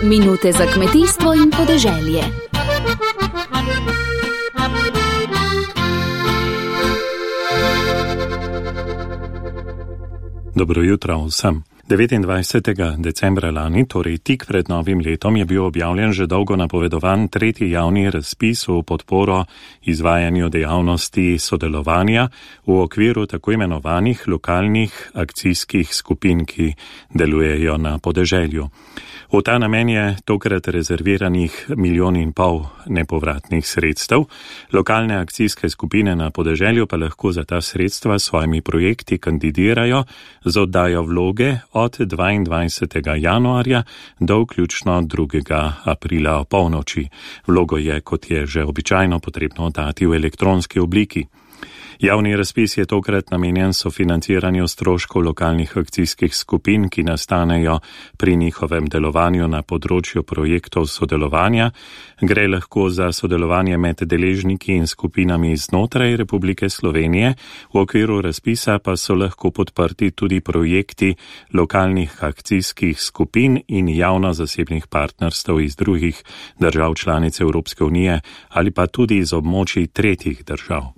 Minute za kmetijstvo in podeželje. Dobro jutro vsem. 29. decembra lani, torej tik pred novim letom, je bil objavljen že dolgo napovedovan tretji javni razpis v podporo izvajanju dejavnosti sodelovanja v okviru tako imenovanih lokalnih akcijskih skupin, ki delujejo na podeželju. V ta namen je tokrat rezerviranih 1,5 milijona nepovratnih sredstev. Lokalne akcijske skupine na podeželju pa lahko za ta sredstva s svojimi projekti kandidirajo z oddajo vloge od 22. januarja do vključno 2. aprila opolnoči. Vlogo je, kot je že običajno, potrebno oddati v elektronski obliki. Javni razpis je tokrat namenjen sofinanciranju stroškov lokalnih akcijskih skupin, ki nastanejo pri njihovem delovanju na področju projektov sodelovanja. Gre lahko za sodelovanje med deležniki in skupinami znotraj Republike Slovenije. V okviru razpisa pa so lahko podprti tudi projekti lokalnih akcijskih skupin in javno-zasebnih partnerstev iz drugih držav članic Evropske unije ali pa tudi iz območij tretjih držav.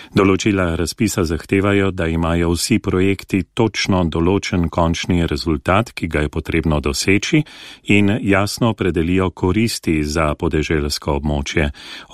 Določila razpisa zahtevajo, da imajo vsi projekti točno določen končni rezultat, ki ga je potrebno doseči, in jasno opredelijo koristi za podeželsko območje.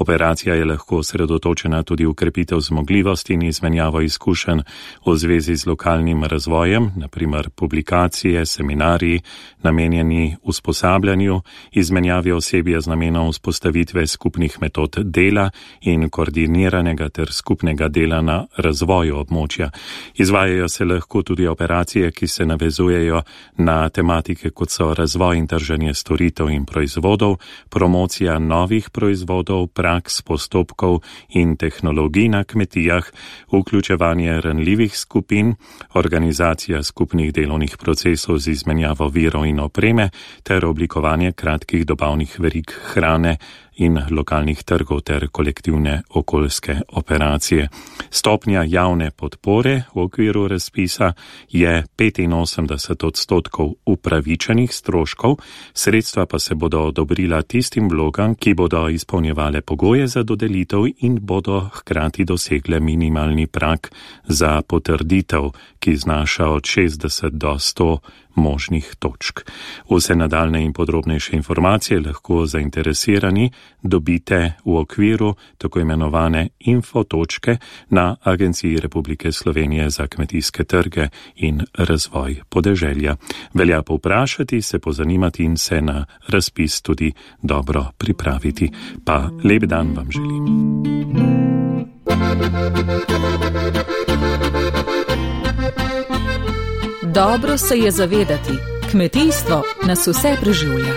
Operacija je lahko osredotočena tudi v krepitev zmogljivosti in izmenjavo izkušenj v zvezi z lokalnim razvojem, naprimer publikacije, seminarji, namenjeni usposabljanju, izmenjavi osebja z namenom vzpostavitve skupnih metod dela in koordiniranega ter skupnega dela na razvoju območja. Izvajajo se lahko tudi operacije, ki se navezujejo na tematike, kot so razvoj in trženje storitev in proizvodov, promocija novih proizvodov, praks, postopkov in tehnologij na kmetijah, vključevanje ranljivih skupin, organizacija skupnih delovnih procesov z izmenjavo virov in opreme ter oblikovanje kratkih dobavnih verig hrane in lokalnih trgov ter kolektivne okoljske operacije. Stopnja javne podpore v okviru razpisa je 85% upravičenih stroškov, sredstva pa se bodo odobrila tistim vlogam, ki bodo izpolnjevale pogoje za dodelitev in bodo hkrati dosegle minimalni prag za potrditev, ki znaša od 60 do 100 možnih točk. Vse nadaljne in podrobnejše informacije lahko zainteresirani dobite v okviru tako imenovane infotočke na Agenciji Republike Slovenije za kmetijske trge in razvoj podeželja. Velja povprašati, se pozanimati in se na razpis tudi dobro pripraviti. Pa lep dan vam želim. Dobro se je zavedati, kmetijstvo nas vse preživlja.